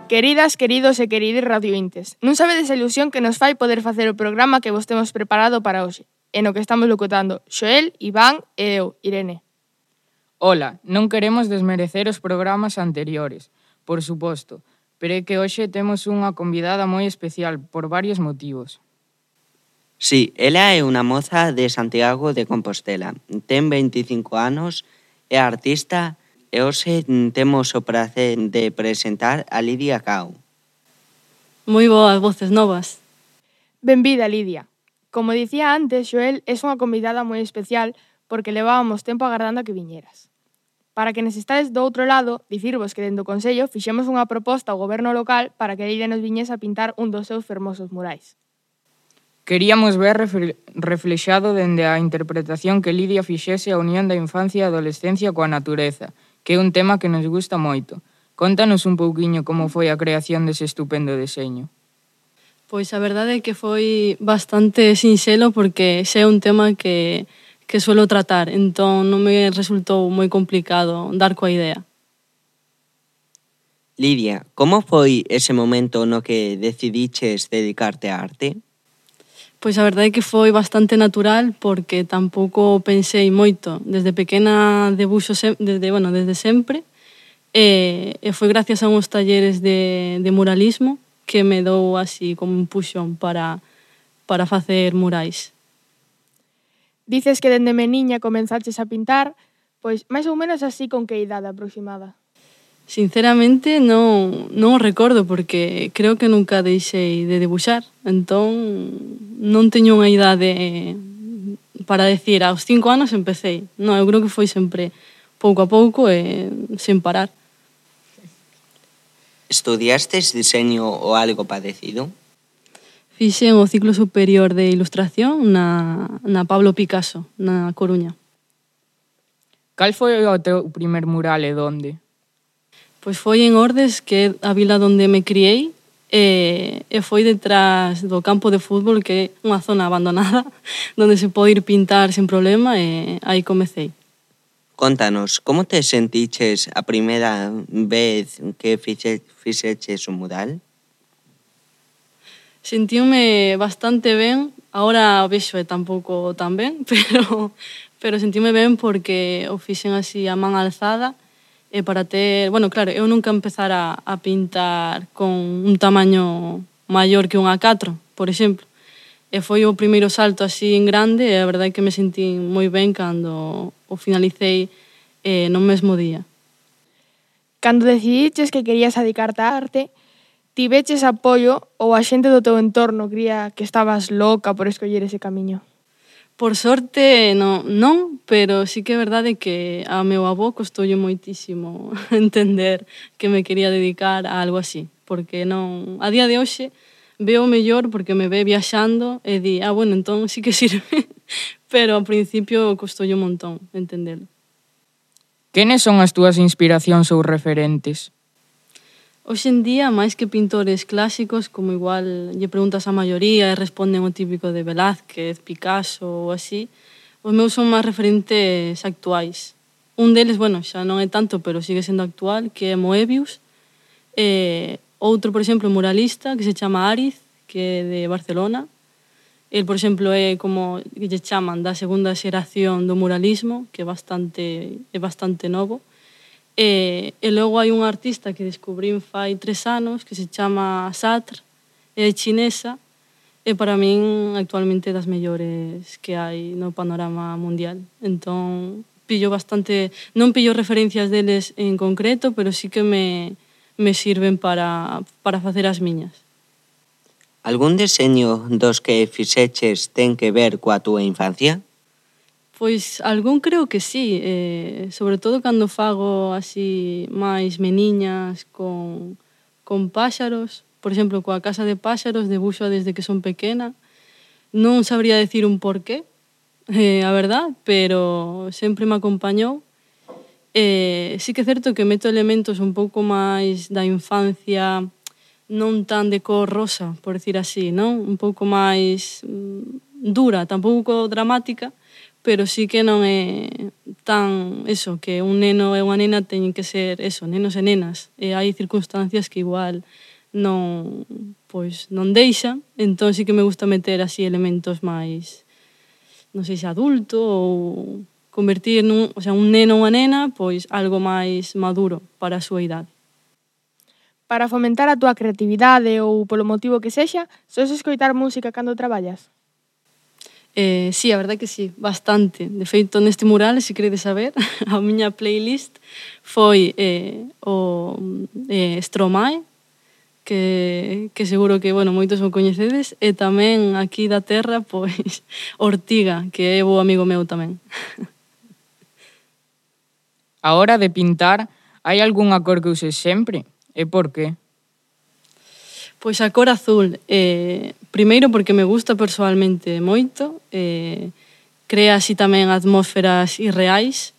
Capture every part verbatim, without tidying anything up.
Queridas, queridos e querides radiointes, non sabedes a ilusión que nos fai poder facer o programa que vos temos preparado para hoxe, e no que estamos locutando Xoel, Iván e eu, Irene. Ola, non queremos desmerecer os programas anteriores, por suposto, pero é que hoxe temos unha convidada moi especial por varios motivos. Sí, ela é unha moza de Santiago de Compostela, ten veinticinco anos, é artista e hoxe temos o prazer de presentar a Lidia Cao. Moi boas voces novas. Benvida, Lidia. Como dicía antes, Xoel é unha convidada moi especial porque levábamos tempo agardando a que viñeras. Para que nos estades do outro lado, dicirvos que dentro do Consello fixemos unha proposta ao goberno local para que Lidia nos viñese a pintar un dos seus fermosos murais. Queríamos ver reflexado dende a interpretación que Lidia fixese a unión da infancia e adolescencia coa natureza, que é un tema que nos gusta moito. Contanos un pouquiño como foi a creación dese estupendo deseño. Pois a verdade é que foi bastante sinxelo porque xa é un tema que, que suelo tratar, entón non me resultou moi complicado dar coa idea. Lidia, como foi ese momento no que decidiches dedicarte á arte? Pois a verdade é que foi bastante natural porque tampouco pensei moito. Desde pequena debuxo se, desde, bueno, desde sempre e, e foi gracias a uns talleres de, de muralismo que me dou así como un puxón para, para facer murais. Dices que dende meniña comenzaches a pintar, pois máis ou menos así con que idade aproximada? Sinceramente non, non o recordo porque creo que nunca deixei de debuxar, entón non teño unha idade para decir aos cinco anos empecei. Non, eu creo que foi sempre pouco a pouco e sen parar. Estudiastes diseño ou algo parecido? Fixen o ciclo superior de ilustración na, na Pablo Picasso, na Coruña. Cal foi o teu primer mural e donde? Pois foi en Ordes, que é a vila onde me criei, e, e foi detrás do campo de fútbol, que é unha zona abandonada, onde se pode ir pintar sen problema, e aí comecei. Contanos, como te sentiches a primeira vez que fixe, fixeches un mural? Sentíme bastante ben, agora o vexo e tampouco tan ben, pero, pero sentíme ben porque o fixen así a man alzada, e para ter, bueno, claro, eu nunca empezara a pintar con un tamaño maior que un A catro, por exemplo. E foi o primeiro salto así en grande e a verdade é que me sentí moi ben cando o finalicei eh, no mesmo día. Cando decidiches que querías dedicarte á arte, tiveches apoio ou a xente do teu entorno cría que estabas loca por escoller ese camiño? Por sorte, non, non, pero sí que é verdade que a meu avó costoulle moitísimo entender que me quería dedicar a algo así, porque non, a día de hoxe veo mellor porque me ve viaxando e di, ah, bueno, entón sí que sirve, pero ao principio costoulle un montón entendelo. Quenes son as túas inspiracións ou referentes? Hoxe en día, máis que pintores clásicos, como igual lle preguntas a maioría e responden o típico de Velázquez, Picasso ou así, os meus son máis referentes actuais. Un deles, bueno, xa non é tanto, pero sigue sendo actual, que é Moebius. E outro, por exemplo, muralista, que se chama Ariz, que é de Barcelona. El, por exemplo, é como que lle chaman da segunda xeración do muralismo, que é bastante, é bastante novo. E, e logo hai un artista que descubrín fai tres anos que se chama Sartre, é chinesa e para min actualmente das mellores que hai no panorama mundial. Entón, pillo bastante, non pillo referencias deles en concreto, pero sí que me, me sirven para, para facer as miñas. Algún deseño dos que fixeches ten que ver coa túa infancia? Pois algún creo que sí, eh, sobre todo cando fago así máis meniñas con, con páxaros, por exemplo, coa casa de páxaros debuxo desde que son pequena. Non sabría decir un porqué, eh, a verdad, pero sempre me acompañou. Eh, sí que é certo que meto elementos un pouco máis da infancia, non tan de cor rosa, por decir así, non? Un pouco máis mm, dura, tampouco dramática, pero sí que non é están, eso, que un neno e unha nena teñen que ser, eso, nenos e nenas. E hai circunstancias que igual non, pois, non deixan, entón sí que me gusta meter así elementos máis, non sei se adulto ou convertir nun, o sea, un neno ou unha nena, pois algo máis maduro para a súa idade. Para fomentar a túa creatividade ou polo motivo que sexa, soes escoitar música cando traballas? Eh, sí, a verdade que sí, bastante. De feito, neste mural, se queredes saber, a miña playlist foi eh, o eh, Stromae, que, que seguro que, bueno, moitos o coñecedes, e tamén aquí da terra, pois, Ortiga, que é bo amigo meu tamén. A hora de pintar, hai algunha cor que uses sempre? E por qué? Pois a cor azul, eh, primeiro porque me gusta persoalmente moito, eh, crea así tamén atmósferas irreais,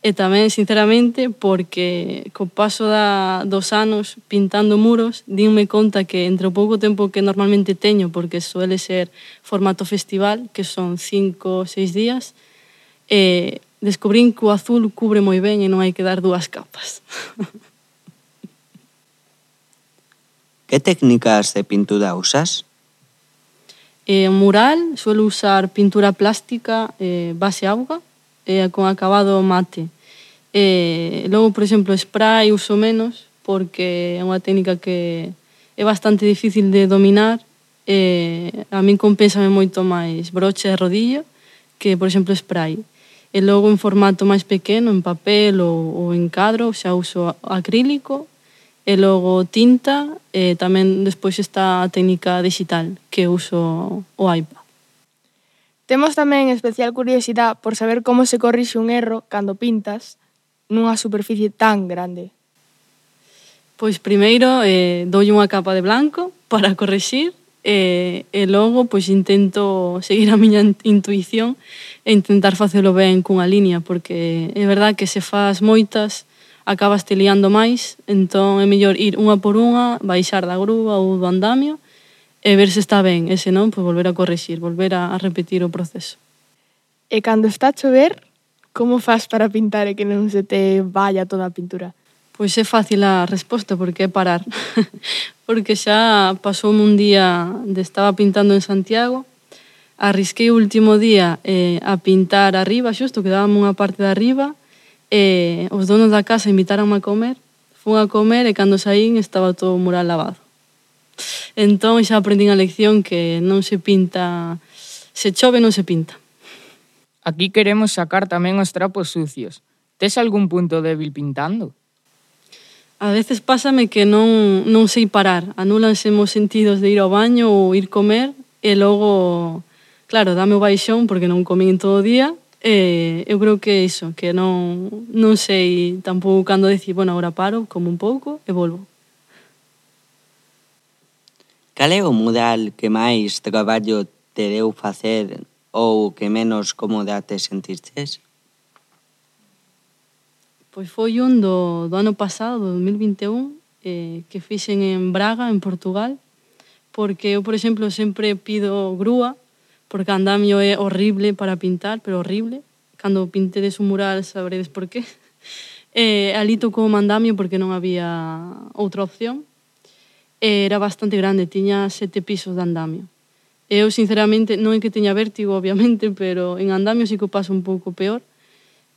e tamén, sinceramente, porque co paso da, dos anos pintando muros, dinme conta que entre o pouco tempo que normalmente teño, porque suele ser formato festival, que son cinco ou seis días, eh, descubrín que o azul cubre moi ben e non hai que dar dúas capas. Que técnicas de pintura usas? Eh, mural, suelo usar pintura plástica, eh, base auga, eh, con acabado mate. Eh, logo, por exemplo, spray uso menos, porque é unha técnica que é bastante difícil de dominar. Eh, a min compénsame moito máis broche e rodillo que, por exemplo, spray. E logo, en formato máis pequeno, en papel ou, ou en cadro, xa uso acrílico, e logo tinta, e tamén despois está a técnica digital, que uso o iPad. Temos tamén especial curiosidade por saber como se corrixe un erro cando pintas nunha superficie tan grande. Pois primeiro eh, doulle unha capa de blanco para correxir e, e logo pois intento seguir a miña intuición e intentar facelo ben cunha línea, porque é verdad que se faz moitas acabas te liando máis, entón é mellor ir unha por unha, baixar da grúa ou do andamio e ver se está ben, e se non, pois volver a correxir, volver a repetir o proceso. E cando está a chover, como faz para pintar e que non se te vaya toda a pintura? Pois é fácil a resposta, porque é parar. Porque xa pasoume un día de estaba pintando en Santiago, arrisquei o último día eh, a pintar arriba, xusto, quedábame unha parte de arriba, e os donos da casa invitaronme a comer, fun a comer e cando saín estaba todo o mural lavado. Entón xa aprendín a lección que non se pinta, se chove non se pinta. Aquí queremos sacar tamén os trapos sucios. Tes algún punto débil pintando? A veces pásame que non, non sei parar, anúlanse os sentidos de ir ao baño ou ir comer e logo, claro, dame o baixón porque non comín todo o día. Eh, eu creo que é iso, que non, non sei tampouco cando decir, bueno, agora paro, como un pouco e volvo. Cal é o mural que máis traballo te deu facer ou que menos cómoda te sentistes? Pois foi un do, do ano pasado, do dos mil vinte e un, eh, que fixen en Braga, en Portugal, porque eu, por exemplo, sempre pido grúa, porque andamio é horrible para pintar, pero horrible. Cando pintedes un mural sabredes por qué. E ali tocou o andamio porque non había outra opción. E era bastante grande, tiña sete pisos de andamio. E eu, sinceramente, non é que teña vértigo, obviamente, pero en andamio sí que o paso un pouco peor.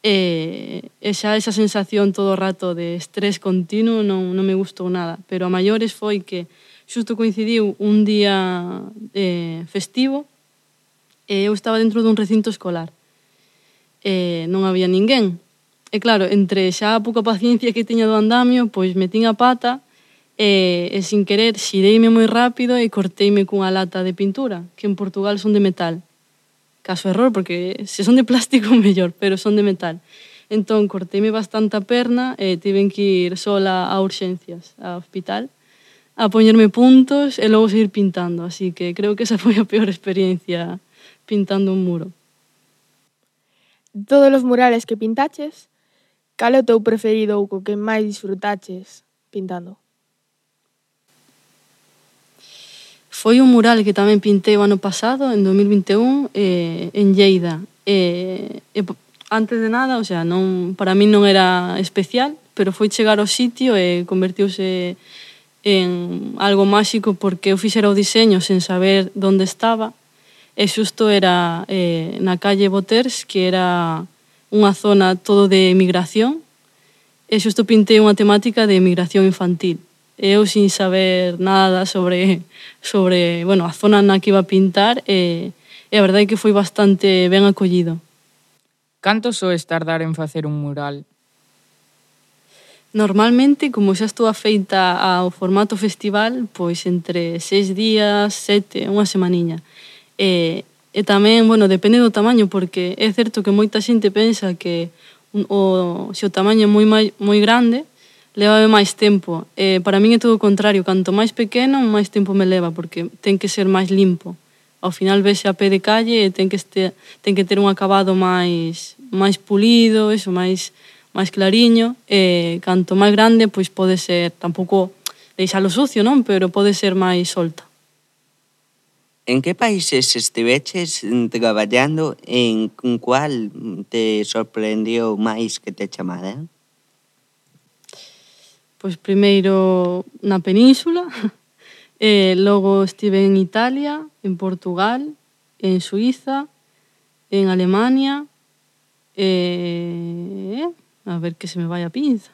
E, e xa esa sensación todo o rato de estrés continuo non, non me gustou nada. Pero a maiores foi que xusto coincidiu un día eh, festivo e eu estaba dentro dun recinto escolar e non había ninguén e claro, entre xa a pouca paciencia que tiña do andamio, pois metín a pata e, e sin querer xireime moi rápido e corteime cunha lata de pintura, que en Portugal son de metal, caso error, porque se son de plástico mellor, pero son de metal. Entón corteime bastante a perna e tiven que ir sola a urxencias, ao hospital, a poñerme puntos e logo seguir pintando, así que creo que esa foi a peor experiencia pintando un muro. De todos os murales que pintaches, cal é o teu preferido ou co que máis disfrutaches pintando? Foi un mural que tamén pintei o ano pasado, en dos mil vinte e un, eh, en Lleida. Eh, eh, antes de nada, o sea, non, para mí non era especial, pero foi chegar ao sitio e convertiuse en algo máxico porque eu fixera o diseño sen saber onde estaba e xusto era eh, na calle Boters, que era unha zona todo de emigración, e xusto pintei unha temática de emigración infantil. Eu sin saber nada sobre, sobre bueno, a zona na que iba a pintar e, e a verdade é que foi bastante ben acollido. Canto soes tardar en facer un mural? Normalmente, como xa estou afeita ao formato festival, pois entre seis días, sete, unha semaniña. E, e tamén, bueno, depende do tamaño, porque é certo que moita xente pensa que o, se o tamaño é moi, moi grande, leva máis tempo. E para min é todo o contrario, canto máis pequeno, máis tempo me leva, porque ten que ser máis limpo. Ao final vese a pé de calle e ten que, este, ten que ter un acabado máis, máis pulido, eso, máis, máis clariño, e canto máis grande, pois pode ser, tampouco deixalo sucio, non? Pero pode ser máis solta. En que países estiveches traballando e en cual te sorprendió máis que te chamaran? Pois primeiro na península, e logo estive en Italia, en Portugal, en Suiza, en Alemania, e a ver que se me vai a pinza.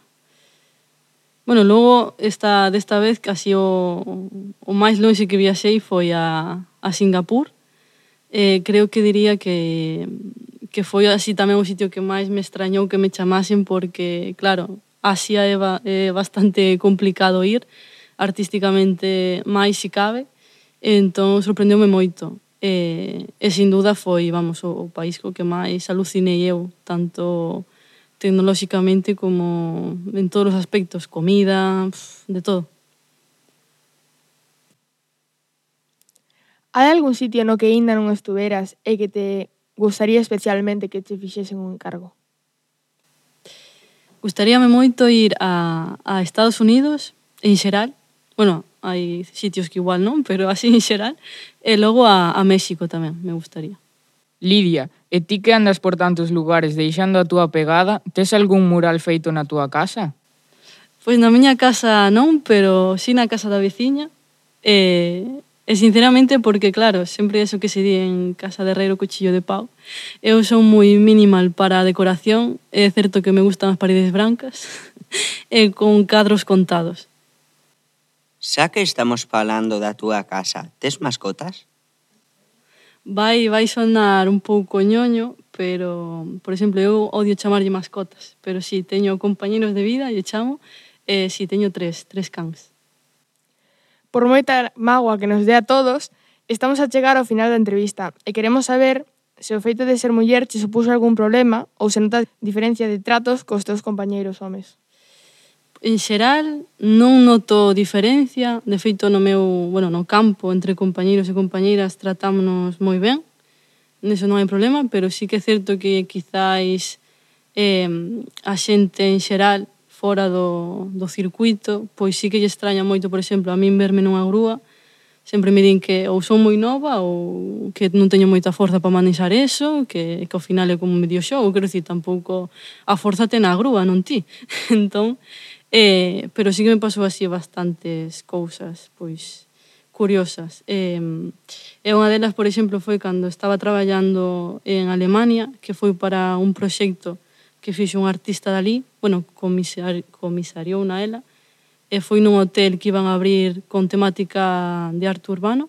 Bueno, logo esta, desta vez casi o, o máis longe que viaxei foi a, a Singapur. Eh, creo que diría que, que foi así tamén o sitio que máis me extrañou que me chamasen porque, claro, Asia é, ba, é bastante complicado ir, artísticamente máis si cabe, entón sorprendeume moito. E, e sin duda foi, vamos, o, o país co que máis alucinei eu, tanto tecnolóxicamente como en todos os aspectos, comida, de todo. Hai algún sitio no que aínda non estuveras e que te gustaría especialmente que te fixesen un encargo? Gustaríame moito ir a, a Estados Unidos, en xeral. Bueno, hai sitios que igual non, pero así en xeral. E logo a, a México tamén, me gustaría. Lidia, e ti que andas por tantos lugares deixando a túa pegada, tes algún mural feito na túa casa? Pois na miña casa non, pero sí na casa da veciña. E, e sinceramente porque, claro, sempre eso que se di en casa de herrero cuchillo de pau. Eu son moi minimal para a decoración. É certo que me gustan as paredes brancas e con cadros contados. Xa que estamos falando da túa casa, tes mascotas? Vai, vai sonar un pouco ñoño, pero, por exemplo, eu odio chamarlle mascotas, pero si, sí, teño compañeros de vida, lle chamo, e si, sí, teño tres, tres cans. Por moita mágoa que nos dé a todos, estamos a chegar ao final da entrevista e queremos saber se o feito de ser muller che supuxo algún problema ou se notas diferencia de tratos cos teus compañeiros homes. En xeral, non noto diferencia. De feito, no meu, bueno, no campo, entre compañeiros e compañeiras, tratámonos moi ben. Neso non hai problema, pero sí que é certo que quizáis eh, a xente en xeral fora do, do circuito, pois sí que lle extraña moito, por exemplo, a min verme nunha grúa. Sempre me din que ou son moi nova ou que non teño moita forza para manexar eso, que, que ao final é como medio xogo, quero dicir, tampouco a forza ten a grúa, non ti. Entón, Eh, pero sí que me pasou así bastantes cousas, pois, curiosas. Eh, e unha delas, por exemplo, foi cando estaba traballando en Alemania, que foi para un proxecto que fixo un artista dali, bueno, comisar, comisariou na ela, e foi nun hotel que iban a abrir con temática de arte urbano,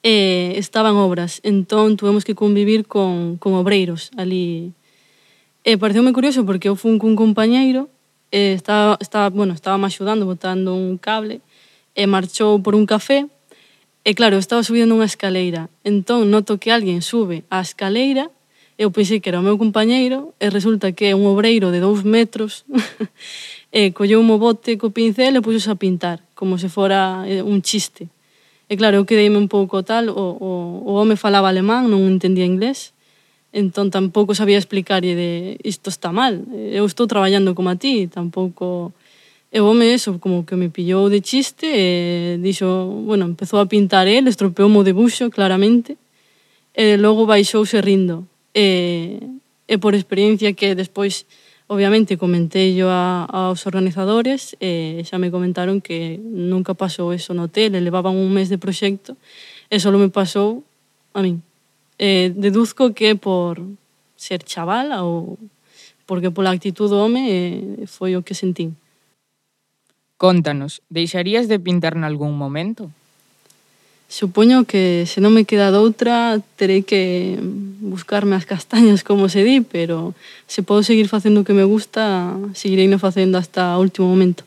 e estaban obras, entón tuvemos que convivir con, con obreiros ali. E pareceume curioso porque eu fui cun compañeiro, Eh, estaba, estaba, bueno, estaba me axudando botando un cable e marchou por un café e claro, estaba subindo unha escaleira, entón noto que alguén sube a escaleira, eu pensei que era o meu compañeiro e resulta que é un obreiro de dous metros e colleu un bote co pincel e puxose a pintar como se fora un chiste. E claro, eu quedeime un pouco tal, o, o, o home falaba alemán, non entendía inglés, entón tampouco sabía explicarlle de isto está mal, eu estou traballando como a ti, tampouco... E o home eso, como que me pillou de chiste e dixo, bueno, empezou a pintar el, estropeou o debuxo, claramente, e logo baixouse rindo. E, e por experiencia que despois, obviamente, comentei yo a, aos organizadores e xa me comentaron que nunca pasou eso no hotel, e levaban un mes de proxecto e só me pasou a min. Eh, deduzco que por ser chavala ou porque pola actitud do home eh, foi o que sentín. Contanos, deixarías de pintar nalgún momento? Supoño que se non me queda doutra terei que buscarme as castañas, como se di, pero se podo seguir facendo o que me gusta, seguirei no facendo hasta o último momento.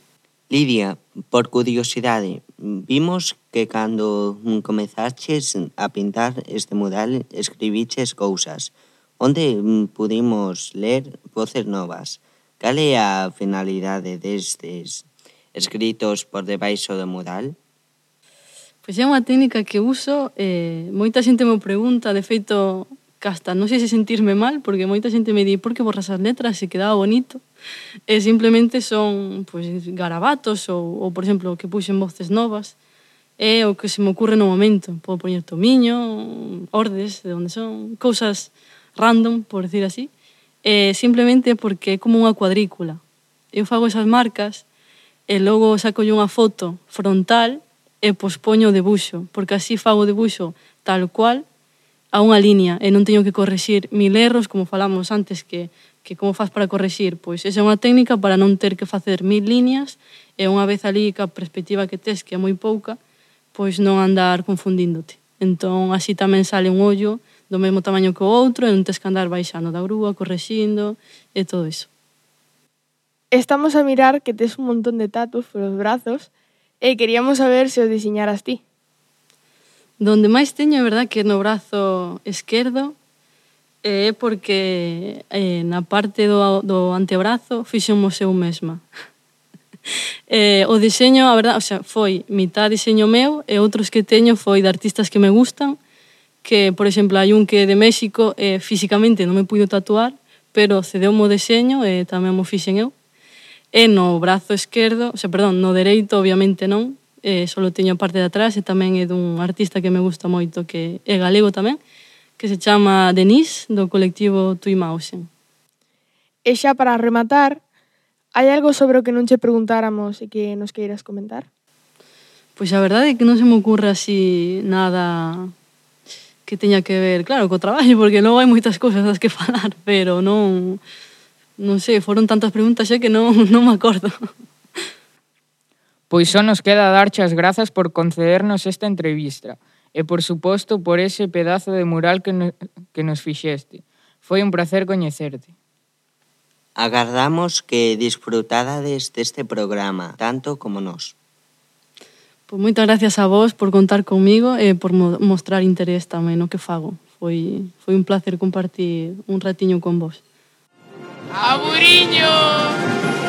Lidia, por curiosidade, vimos que cando comezaches a pintar este mural escribiches cousas, onde pudimos ler voces novas. Cal é a finalidade destes escritos por debaixo do mural? Pois é unha técnica que uso, eh, moita xente me pregunta, de feito, casta, non sei se sentirme mal, porque moita xente me di por que borras as letras se quedaba bonito. E simplemente son pois, garabatos ou, ou, por exemplo, que puxen voces novas. É o que se me ocurre no momento. Podo poñer tomiño, ordes, de onde son, cousas random, por decir así. E simplemente porque é como unha cuadrícula. Eu fago esas marcas e logo saco unha foto frontal e pospoño o debuxo, porque así fago o debuxo tal cual a unha línea e non teño que correxir mil erros, como falamos antes, que, que como faz para correxir? Pois esa é unha técnica para non ter que facer mil líneas e unha vez ali ca perspectiva que tes, que é moi pouca, pois non andar confundíndote. Entón, así tamén sale un ollo do mesmo tamaño que o outro e non tes que andar baixando da grúa, correxindo e todo iso. Estamos a mirar que tes un montón de tatus polos brazos e queríamos saber se os diseñaras ti. Donde máis teño é verdad que no brazo esquerdo é porque eh, na parte do, do antebrazo fixemos eu mesma. eh, o diseño, a verdad, o sea, foi mitad diseño meu e outros que teño foi de artistas que me gustan, que, por exemplo, hai un que é de México e físicamente non me puido tatuar, pero cedeu-me o deseño e tamén mo fixen eu. E no brazo esquerdo, o sea, perdón, no dereito obviamente non, eh, só teño a parte de atrás e tamén é dun artista que me gusta moito, que é galego tamén, que se chama Denise, do colectivo Tuimausen. E xa para rematar, hai algo sobre o que non che preguntáramos e que nos queiras comentar? Pois a verdade é que non se me ocurre así nada que teña que ver, claro, co traballo, porque logo hai moitas cousas das que falar, pero non... Non sei, foron tantas preguntas xa que non, non me acordo. Pois só nos queda darche as grazas por concedernos esta entrevista e, por suposto, por ese pedazo de mural que, no, que nos fixeste. Foi un placer coñecerte. Agardamos que disfrutadades deste programa, tanto como nós. Pois moitas gracias a vos por contar comigo e por mo mostrar interés tamén no que fago. Foi, foi un placer compartir un ratiño con vos. ¡Aburiño!